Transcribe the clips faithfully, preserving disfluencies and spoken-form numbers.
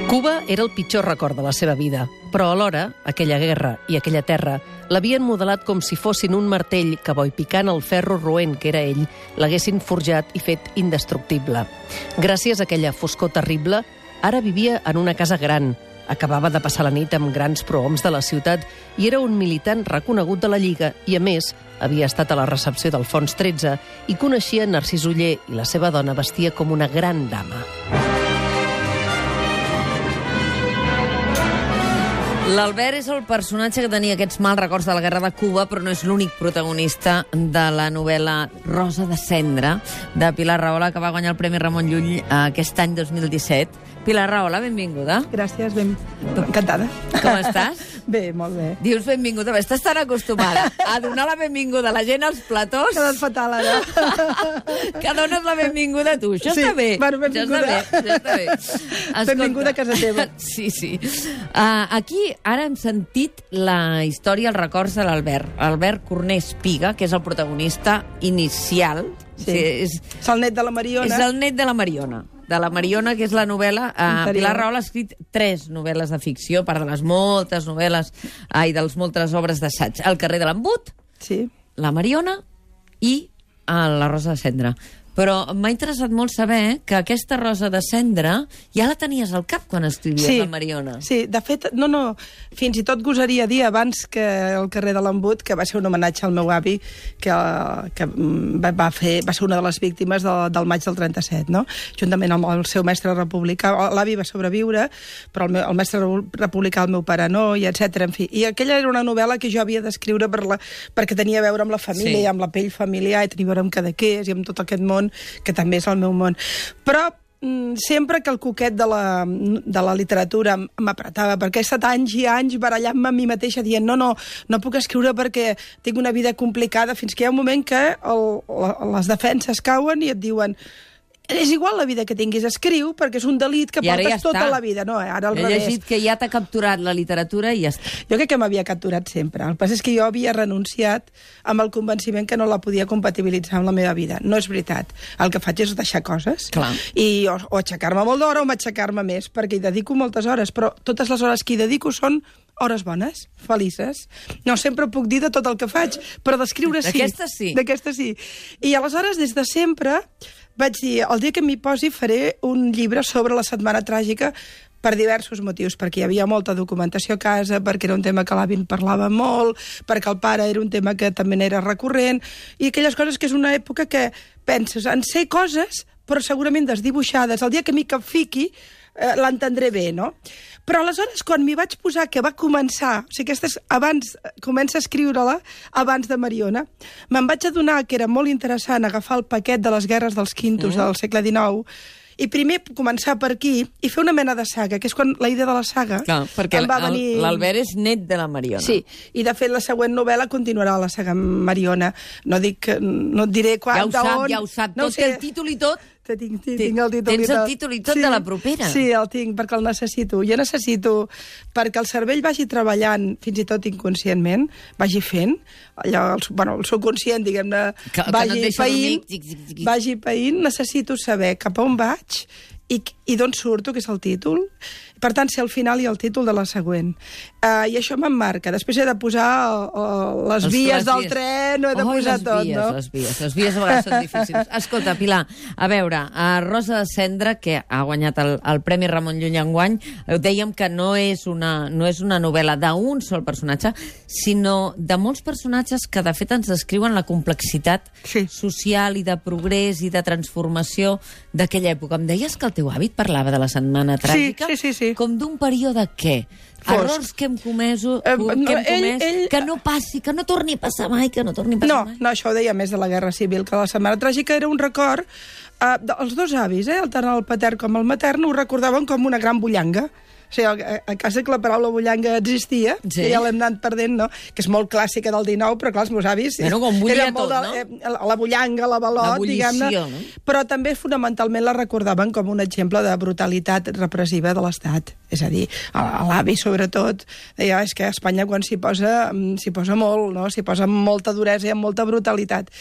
Cuba era el pitjor record de la seva vida, però alhora, aquella guerra i aquella terra l'havien modelat com si fossin un martell que, boipicant el ferro roent que era ell, l'haguessin forjat i fet indestructible. Gràcies a aquella foscor terrible, ara vivia en una casa gran, acabava de passar la nit amb grans prohoms de la ciutat i era un militant reconegut de la Lliga i, a més, havia estat a la recepció del Fons tretze i coneixia Narcís Oller i la seva dona vestia com una gran dama. L'Albert és el personatge que tenia aquests mals records de la guerra de Cuba, però no és l'únic protagonista de la novel·la Rosa de Cendra, de Pilar Rahola, que va guanyar el Premi Ramon Llull aquest any dos mil disset. Pilar Rahola, benvinguda. Gràcies, ben... encantada. Com estàs? Bé, molt bé. Dius benvinguda, bé, estàs tan acostumada a donar la benvinguda a la gent als platós... Quedat fatal, ara. Que dones la benvinguda a tu. Això sí, està bé. Bueno, benvinguda. Això està bé, això està bé. Escolta, benvinguda a casa teva. Sí, sí. Uh, aquí ara hem sentit la història, els records de l'Albert. Albert Cornés Piga, que és el protagonista inicial. Sí. Sí, és, és el net de la Mariona. És el net de la Mariona. De la Mariona, que és la novel·la... Uh, Pilar Rahola ha escrit tres novel·les de ficció, part de les moltes novel·les uh, i de les moltes obres d'assaig. El carrer de l'Embut, sí. La Mariona i uh, la Rosa de Cendra. Però m'ha interessat molt saber que aquesta Rosa de Cendra ja la tenies al cap quan escrivies sí, la Mariona. Sí, de fet, no, no, fins i tot gosaria dir abans que el carrer de l'Embut, que va ser un homenatge al meu avi, que, que va, fer, va ser una de les víctimes de, del maig del trenta-set, no? Juntament amb el seu mestre republicà. L'avi va sobreviure, però el, meu, el mestre republicà, el meu pare no, i etcètera. En fi, i aquella era una novel·la que jo havia d'escriure per la, perquè tenia a veure amb la família, sí. I amb la pell familiar, i tenia a veure amb Cadaqués i amb tot aquest món que també és el meu món. Però mm, sempre que el coquet de la, de la literatura m'apretava, perquè he estat anys i anys barallant-me amb mi mateixa dient no, no, no puc escriure perquè tinc una vida complicada, fins que hi ha un moment que el, les defenses cauen i et diuen és igual la vida que tinguis, escriu, perquè és un delit que portes ja tota la vida. No, ara al He revés. llegit que ja t'ha capturat la literatura i ja està. Jo crec que m'havia capturat sempre. El que passa és que jo havia renunciat amb el convenciment que no la podia compatibilitzar amb la meva vida. No és veritat. El que faig és deixar coses. Clar. I o, o aixecar-me molt d'hora o m'aixecar-me més, perquè hi dedico moltes hores, però totes les hores que hi dedico són hores bones, felices. No sempre puc dir de tot el que faig, però d'escriure sí. D'aquestes sí. D'aquestes sí. I aleshores, des de sempre, vaig dir, el dia que m'hi posi faré un llibre sobre la Setmana Tràgica per diversos motius, perquè hi havia molta documentació a casa, perquè era un tema que l'avi en parlava molt, perquè el pare era un tema que també era recurrent, i aquelles coses que és una època que penses en ser coses, però segurament desdibuixades. El dia que m'hi capfiqui, eh, l'entendré bé, no? Però aleshores, quan m'hi vaig posar, que va començar, o sigui, aquesta és, abans, comença a escriure-la abans de Mariona, me'n vaig adonar que era molt interessant agafar el paquet de les guerres dels quintos mm. del segle dinou, i primer començar per aquí i fer una mena de saga, que és quan la idea de la saga... Clar, perquè venir... l'Albert és net de la Mariona. Sí, i de fet la següent novel·la continuarà la saga Mariona. No dic, no et diré quan, ja ho sap, on... ja ho sap, no tot sé. El títol i tot... Tinc, tinc, tinc el títol Tens i tot. el títol i tot sí, de la propera. Sí, el tinc, perquè el necessito. Jo necessito perquè el cervell vagi treballant, fins i tot inconscientment, vagi fent, allò, el, bueno, el subconscient, diguem-ne, vagi no païnt, dormir, vagi païnt, necessito saber cap a on vaig i, i d'on surto, que és el títol. Per tant, ser el final i el títol de la següent. Uh, I això m'emmarca. Després he de posar uh, les Els, vies les del vies. tren, no he de oh, posar les tot, vies, no? Les vies, les vies a vegades són difícils. Escolta, Pilar, a veure, a Rosa de Cendra, que ha guanyat el, el Premi Ramon Llull enguany, dèiem que no és una, no és una novel·la d'un sol personatge, sinó de molts personatges que, de fet, ens descriuen la complexitat sí. social i de progrés i de transformació d'aquella època. Em deies que el teu avi parlava de la Setmana Tràgica? Sí, sí, sí. sí. Com d'un període què? Fosc. Errors que hem comeso, eh, que, no, hem comès, ell, ell... que no passi, que no torni a passar mai, que no torni a passar no, mai. No, això ho deia més de la Guerra Civil, que la Setmana Tràgica era un record... Eh, els dos avis, eh, el tant el patern com el matern, ho recordaven com una gran bullanga. O sigui, a, a casa que la paraula bullanga existia, sí. que ja l'hem anat perdent, no? Que és molt clàssica del dinou, però clar, els meus avis... Bueno, com bullia tot, de, no? Eh, la bullanga, la balot, diguem-ne... No? Però també fonamentalment la recordaven com un exemple de brutalitat repressiva de l'Estat. És a dir, l'avi, sobretot, deia, és que a Espanya quan s'hi posa, s'hi posa molt, no? S'hi posa amb molta duresa i amb molta brutalitat.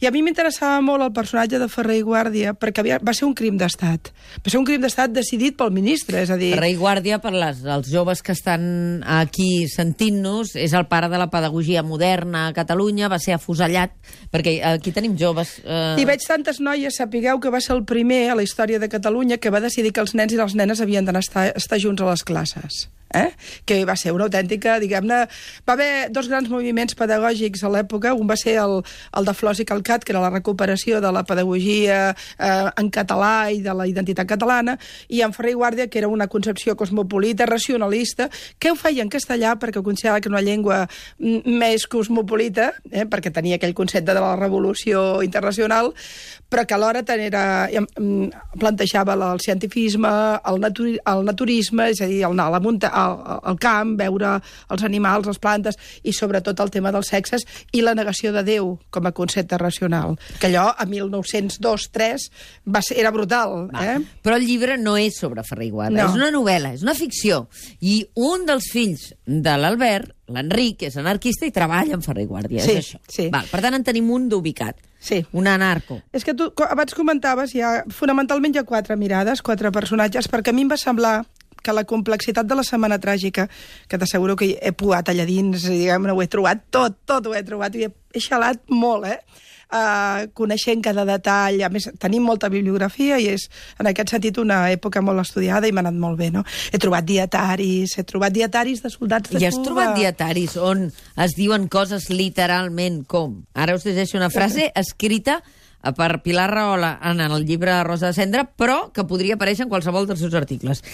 I a mi m'interessava molt el personatge de Ferrer i Guàrdia, perquè havia, va ser un crim d'estat. Va ser un crim d'estat decidit pel ministre, és a dir... Ferrer i Guàrdia, per les, els joves que estan aquí sentint-nos, és el pare de la pedagogia moderna a Catalunya, va ser afusellat, perquè aquí tenim joves... Eh... I veig tantes noies, sapigueu que va ser el primer a la història de Catalunya que va decidir que els nens i les nenes havien d'anar estar, estar junts a les classes. Eh? Que va ser una autèntica, diguem-ne... Va haver dos grans moviments pedagògics a l'època. Un va ser el, el de Flors i Calcat, que era la recuperació de la pedagogia eh, en català i de la identitat catalana, i en Ferrer i Guàrdia, que era una concepció cosmopolita, racionalista, que ho feia en castellà perquè ho considerava que era una llengua més cosmopolita, eh, perquè tenia aquell concepte de la revolució internacional, però que alhora era, plantejava el cientifisme, el, natur, el naturisme, és a dir, el anar a la muntanya, al, al camp, veure els animals, les plantes, i sobretot el tema dels sexes i la negació de Déu com a concepte racional. Que allò, a mil nou-cents dos tres, va ser, era brutal. Eh? Però el llibre no és sobre Ferrer i Guàrdia, no. És una novel·la, és una ficció. I un dels fills de l'Albert, l'Enric, és anarquista i treballa amb Ferrer i Guàrdia, sí, és això. Sí. Val, per tant, en tenim un d'ubicat. Sí. Un anarco. És que tu abans comentaves, ja, fonamentalment hi ha quatre mirades, quatre personatges, perquè a mi em va semblar que la complexitat de la Setmana Tràgica, que t'asseguro que he puat allà dins, diguem-ne, ho he trobat tot, tot ho he trobat, i he, he xalat molt, eh? Uh, coneixent cada detall, a més tenim molta bibliografia i és en aquest sentit una època molt estudiada i m'ha anat molt bé, no? He trobat dietaris, he trobat dietaris de soldats de Cuba. I has trobat dietaris on es diuen coses literalment com? Ara us llegeixo una frase escrita per Pilar Rahola en el llibre Rosa de Cendra, però que podria aparèixer en qualsevol dels seus articles.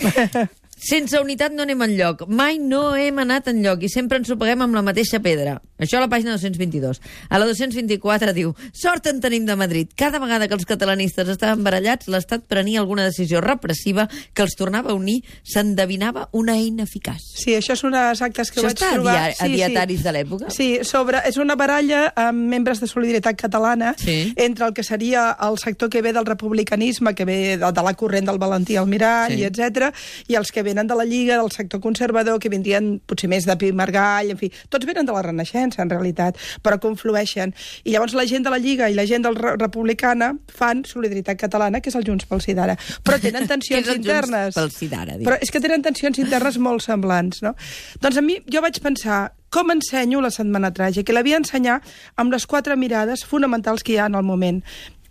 Sense unitat no anem enlloc. Mai no hem anat enlloc i sempre ens ho paguem amb la mateixa pedra. Això a la pàgina dos-cents vint-i-dos. A la dos-cents vint-i-quatre diu: sort en tenim de Madrid. Cada vegada que els catalanistes estaven barallats, l'Estat prenia alguna decisió repressiva que els tornava a unir, s'endevinava una eina eficaç. Sí, això són unes actes que això vaig trobar... Això està a, di a dietaris sí. de l'època? Sí, sobre, és una baralla amb membres de Solidaritat Catalana sí. entre el que seria el sector que ve del republicanisme, que ve de, de la corrent del Valentí Almirall, sí. i etcètera, i els que venen de la Lliga, del sector conservador, que vindrien potser més de Pi Margall, en fi, tots venen de la Renaixença, en realitat, però conflueixen. I llavors la gent de la Lliga i la gent del Republicana fan Solidaritat Catalana, que és el Junts pel Sí d'ara. Però tenen tensions internes. Pel Sí d'ara, però és que tenen tensions internes molt semblants, no? Doncs a mi, jo vaig pensar, com ensenyo la Setmana Tràgica? I la havia d'ensenyar amb les quatre mirades fonamentals que hi ha en el moment.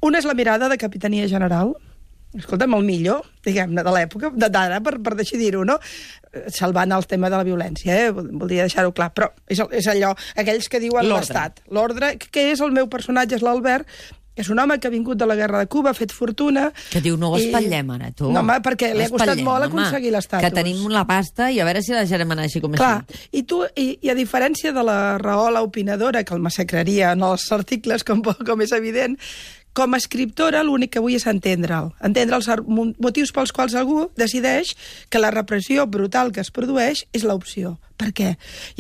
Una és la mirada de Capitania General, escolta'm, el millor, diguem-ne, de l'època, d'ara, per, per decidir-ho, no? Salvant el tema de la violència, eh? Voldria deixar-ho clar, però és, és allò, aquells que diuen l'Estat. L'ordre, que és el meu personatge, és l'Albert, és un home que ha vingut de la guerra de Cuba, ha fet fortuna... Que diu, no ho espatllem ara, tu. No, home, perquè li ha costat molt aconseguir l'estatus. Que tenim la pasta i a veure si la deixarem anar així com així. Clar, i tu, i, i a diferència de la Rahola opinadora, que el massacraria en els articles, com, com és evident, com a escriptora l'únic que vull és entendre'l. Entendre els motius pels quals algú decideix que la repressió brutal que es produeix és l'opció. Per què?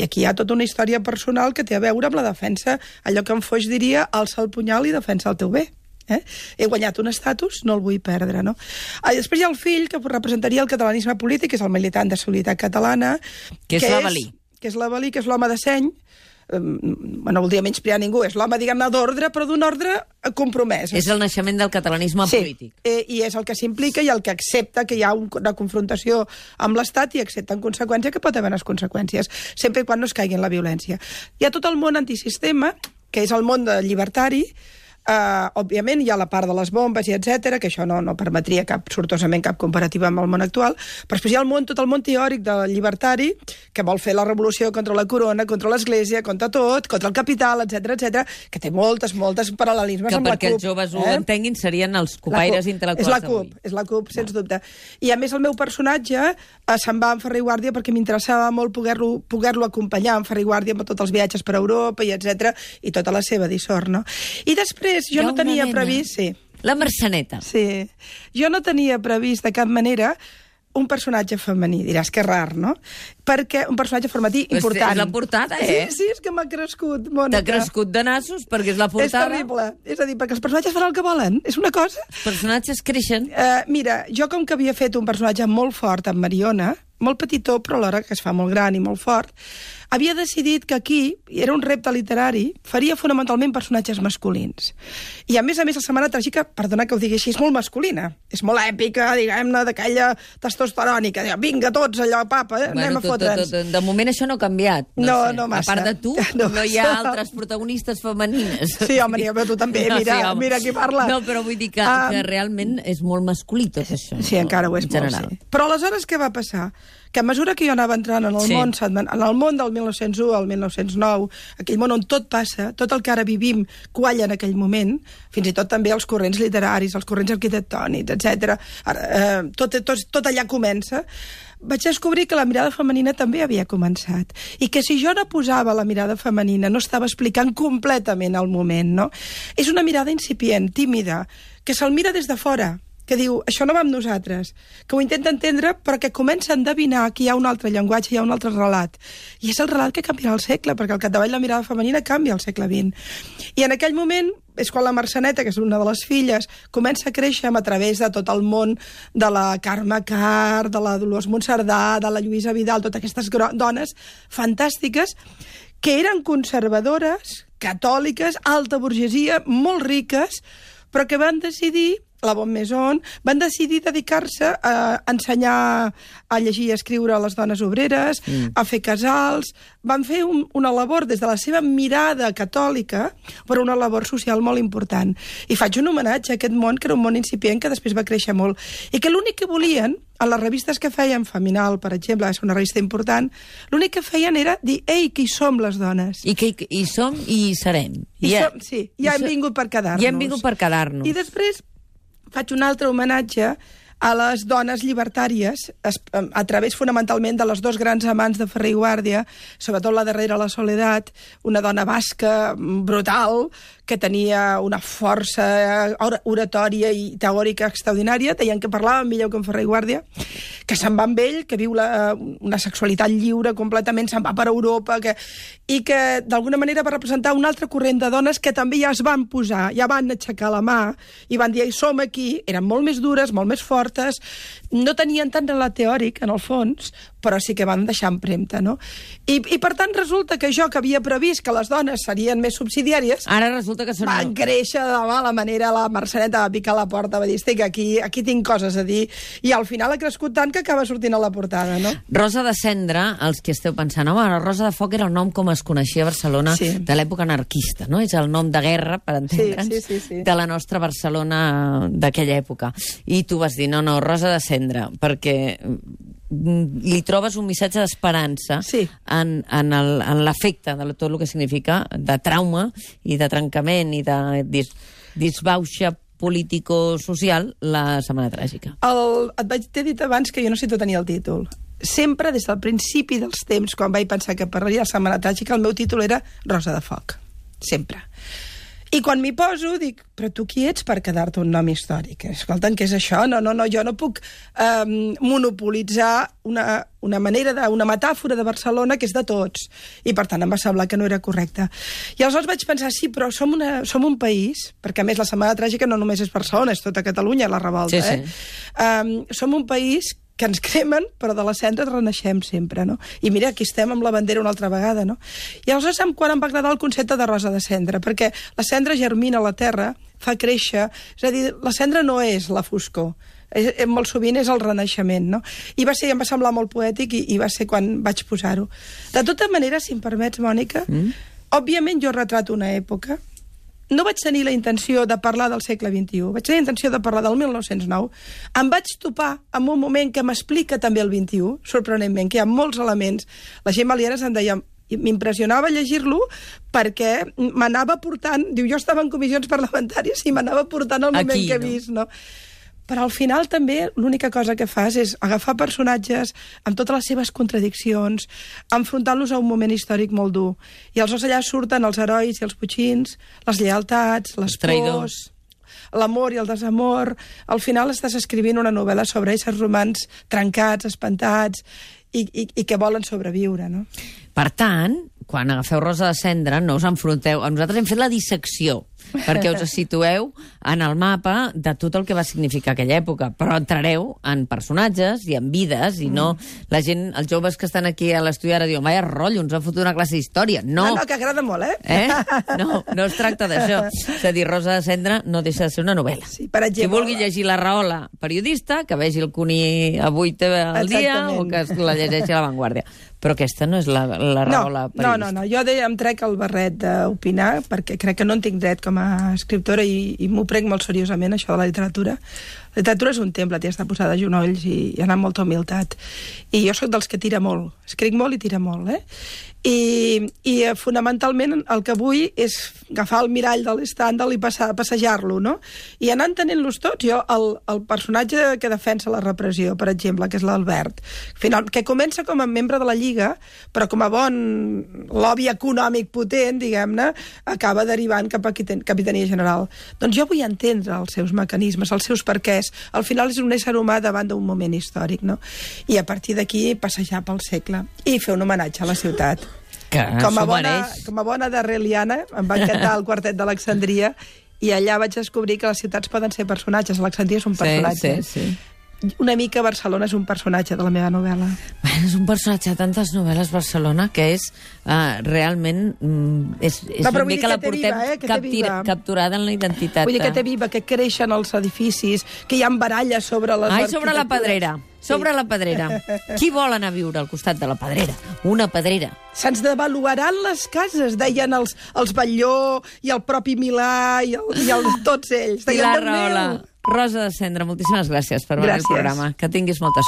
I aquí hi ha tota una història personal que té a veure amb la defensa, allò que en Foix diria, alça el punyal i defensa el teu bé. Eh? He guanyat un estatus, no el vull perdre, no? Ah, després hi ha el fill, que representaria el catalanisme polític, que és el militant de Solidaritat Catalana. Que és l'Avelí. Que és l'Avelí, que és l'home de seny. No voldria menysprear ningú, és l'home, diguem-ne, d'ordre, però d'un ordre compromès. És el naixement del catalanisme sí, polític. Eh, i és el que s'implica i el que accepta que hi ha una confrontació amb l'Estat i accepta en conseqüència que pot haver unes conseqüències, sempre i quan no es caigui en la violència. Hi ha tot el món antisistema, que és el món de llibertari. Uh, òbviament hi ha la part de les bombes i etcètera, que això no, no permetria cap, sortosament cap comparativa amb el món actual, però després hi ha el món, tot el món teòric del llibertari, que vol fer la revolució contra la corona, contra l'Església, contra tot, contra el capital, etcètera, etcètera, que té moltes, moltes paral·lelismes que amb la CUP. Que perquè els joves ho eh? entenguin serien els cupaires intel·lectuals d'avui. És la CUP, és la CUP, sens no. dubte. I a més el meu personatge uh, se'n va amb Ferrer i Guàrdia perquè m'interessava molt poder-lo poder-lo acompanyar amb Ferrer i Guàrdia amb tots els viatges per Europa i etcètera, i tota la seva dissort, no? I després jo no tenia previst... Sí. La Marceneta. Sí. Jo no tenia previst de cap manera un personatge femení. Diràs que és rar, no? Perquè un personatge femení important. És la portada, eh? Sí, sí, és que m'ha crescut, Mònica. T'ha crescut de nassos perquè és la portada. És terrible. És a dir, perquè els personatges fan el que volen. És una cosa... Els personatges creixen. Uh, mira, jo com que havia fet un personatge molt fort amb Mariona, molt petitó, però alhora que es fa molt gran i molt fort, havia decidit que aquí, era un repte literari, faria fonamentalment personatges masculins. I a més a més, la Setmana Tràgica, perdona que ho digui així, és molt masculina. És molt èpica, diguem-ne, d'aquella testosterònica. Vinga, tots allò, papa, eh? Bueno, anem a fotre'ns. De moment això no ha canviat. No, no, sé. no massa. A part de tu, no, no hi ha altres protagonistes femenines. Sí, home, però tu també, mira, no, sí, mira qui parla. No, però vull dir que, um, que realment és molt masculí tot això. Sí, encara ho és molt, sí. Però aleshores què va passar? Que a mesura que jo anava entrant en el, sí. món, en el món del mil nou-cents u al mil nou-cents nou, aquell món on tot passa, tot el que ara vivim qualla en aquell moment, fins i tot també els corrents literaris, els corrents arquitectònics, etcètera. Ara, eh, tot, tot, tot allà comença. Vaig descobrir que la mirada femenina també havia començat i que si jo no posava la mirada femenina no estava explicant completament el moment, no? És una mirada incipient, tímida, que se'l mira des de fora, que diu, això no va amb nosaltres, que ho intenta entendre però que comença a endevinar que hi ha un altre llenguatge, hi ha un altre relat. I és el relat que canviarà el segle, perquè al capdavall la mirada femenina canvia al segle vint. I en aquell moment és quan la Marceneta, que és una de les filles, comença a créixer a través de tot el món de la Carme Carr, de la Dolors Monserdà, de la Lluïsa Vidal, totes aquestes dones fantàstiques que eren conservadores, catòliques, alta burgesia, molt riques, però que van decidir, la Bon Maison, van decidir dedicar-se a ensenyar a llegir i a escriure a les dones obreres, mm. a fer casals. Van fer un, una labor des de la seva mirada catòlica, però una labor social molt important. I faig un homenatge a aquest món, que era un món incipient, que després va créixer molt. I que l'únic que volien, a les revistes que feien, Feminal, per exemple, és una revista important, l'únic que feien era dir, ei, que hi som les dones. I que hi som i hi serem. I ja, som, sí, ja hem vingut per quedar-nos. Ja hem vingut per quedar-nos. I després faig un altre homenatge a les dones llibertàries, a través fonamentalment de les dos grans amants de Ferrer i Guàrdia, sobretot la darrera, la Soledat, una dona basca brutal, que tenia una força oratòria i teòrica extraordinària, deien que parlava millor que en Ferrer i Guàrdia, que se'n va amb ell, que viu la, una sexualitat lliure completament, se'n va per Europa, que, i que d'alguna manera va representar un altre corrent de dones que també ja es van posar, ja van aixecar la mà, i van dir, som aquí, eren molt més dures, molt més fortes, no tenien tant relat teòric, en el fons, però sí que van deixar empremta, no? I, i per tant resulta que jo, que havia previst que les dones serien més subsidiàries, ara resulta que són... van créixer de mala manera, la Marceneta va picar a la porta, va dir, estic aquí, aquí tinc coses a dir, i al final ha crescut tant que acaba sortint a la portada, no? Rosa de Cendra, els que esteu pensant, home, la Rosa de Foc era el nom com es coneixia a Barcelona, sí, de l'època anarquista, no? És el nom de guerra, per entendre'ns, sí, sí, sí, sí, de la nostra Barcelona d'aquella època. I tu vas dir, no, no, Rosa de Cendra, perquè li trobes un missatge d'esperança, sí, en, en, el, en l'efecte de tot el que significa de trauma i de trencament i de dis, disbauxa político-social la Setmana Tràgica. El, et vaig t'he dit abans que jo no sé tot tenir el títol. Sempre, des del principi dels temps, quan vaig pensar que parlaria de Setmana Tràgica, el meu títol era Rosa de Foc. Sempre. I quan m'hi poso, dic, però tu qui ets per quedar-te un nom històric? Escolta'm, què és això? No, no, no, jo no puc um, monopolitzar una, una manera, de, una metàfora de Barcelona que és de tots. I, per tant, em va semblar que no era correcte. I aleshores vaig pensar, sí, però som, una, som un país, perquè a més la Setmana Tràgica no només és Barcelona, és tota Catalunya, la revolta, sí, sí. eh? Um, som un país que ens cremen, però de les cendres reneixem sempre, no? I mira, aquí estem amb la bandera una altra vegada, no? I aleshores quan em va agradar el concepte de rosa de cendra, perquè la cendra germina a la terra, fa créixer, és a dir, la cendra no és la foscor, és, molt sovint és el renaixement, no? I va ser, em va semblar molt poètic i, i va ser quan vaig posar-ho. De tota manera, si em permets, Mònica, mm. òbviament jo retrato una època. No vaig tenir la intenció de parlar del segle vint-i-u, vaig tenir la intenció de parlar del mil nou-cents nou. Em vaig topar en un moment que m'explica també el vint-i-u, sorprenentment, que hi ha molts elements. La Gemma Lienas em deia, m'impressionava llegir-lo perquè m'anava portant, diu, jo estava en comissions parlamentàries i m'anava portant el moment Aquí, que he vist, no? Però al final també l'única cosa que fas és agafar personatges amb totes les seves contradiccions, enfrontant-los a un moment històric molt dur. I aleshores allà surten els herois i els botxins, les lleialtats, les pors, l'amor i el desamor. Al final estàs escrivint una novel·la sobre éssers humans trencats, espantats, i, i, i que volen sobreviure, no? Per tant, quan agafeu Rosa de Cendra, no us enfronteu... Nosaltres hem fet la dissecció, perquè us situeu en el mapa de tot el que va significar aquella època, però entrareu en personatges i en vides, i no la gent, els joves que estan aquí a l'estudi ara diuen, vaya rotllo, ens ha fotut una classe d'història. No, No, no, que agrada molt, eh? eh? No, no es tracta d'això. És a dir, Rosa de Cendra no deixa de ser una novel·la. Sí, per exemple... Qui vulgui llegir la Rahola periodista, que vegi el Cuní avui T V al dia, Exactament. o que la llegeixi a La Vanguardia. Però aquesta no és la, la Rahola no, periodista. no, no, no, jo de, em trec el barret d'opinar, perquè crec que no en tinc dret com a escriptora i, i m'ho prenc molt seriosament, això de la literatura. La literatura és un temple, t'hi està posada de genolls i hi ha molta humilitat. I jo sóc dels que tira molt, escric molt i tira molt, eh? I, i eh, fonamentalment el que vull és agafar el mirall de l'estàndard i passar, passejar-lo, no? I anar entenent-los tots. Jo, el, el personatge que defensa la repressió, per exemple, que és l'Albert, final, que comença com a membre de la Lliga, però com a bon lobby econòmic potent, diguem-ne, acaba derivant cap a Capitania General. Doncs jo vull entendre els seus mecanismes, els seus perquès. Al final és un ésser humà davant d'un moment històric, no? I a partir d'aquí passejar pel segle i fer un homenatge a la ciutat. Que com a s'ho bona, mereix. com a bona d'Arreliana, em va encantar el quartet d'Alexandria, i allà vaig descobrir que les ciutats poden ser personatges. Alexandria és un personatge. Sí, sí, sí. Una mica Barcelona és un personatge de la meva novel·la. Bueno, és un personatge de tantes novel·les Barcelona que és uh, realment... Mm, és és No, però un vull bé dir que la que té portem viva, eh, que té captir, viva. capturada en la identitat. Vull dir que té viva, que creixen els edificis, que hi ha baralles sobre les Ai, sobre la arquitectures. pedrera. Sobre la pedrera. Qui vol anar a viure al costat de la pedrera? Una pedrera. Se'ns devaluaran les cases, deien els, els Batlló i el propi Milà i, el, i el, tots ells. Deien, Pilar "Déu meu". Rahola, Rosa de Cendra, moltíssimes gràcies per venir al Gràcies. programa. Que tinguis molta sort.